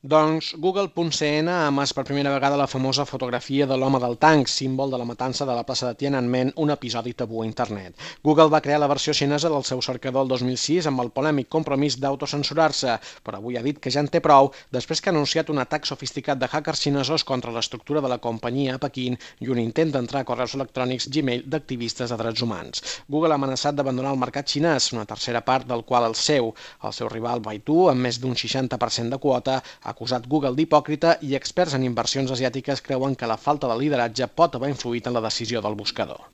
Doncs Google.cn ha emès per primera vegada la famosa fotografia de l'home del tanc, símbol de la matança de la plaça de Tiananmen, un episodi tabú a internet. Google va crear la versió xinesa del seu cercador el 2006 amb el polèmic compromís d'autocensurar-se, però avui ha dit que ja en té prou després que ha anunciat un atac sofisticat de hackers xinesos contra l'estructura de la companyia a Pequín i un intent d'entrar a correus electrònics Gmail d'activistes de drets humans. Google ha amenaçat d'abandonar el mercat xinès, una tercera part del qual el seu rival Baidu, amb més d'un 60% de quota, ha acusat Google d'hipòcrita i experts en inversions asiàtiques creuen que la falta de lideratge pot haver influït en la decisió del buscador.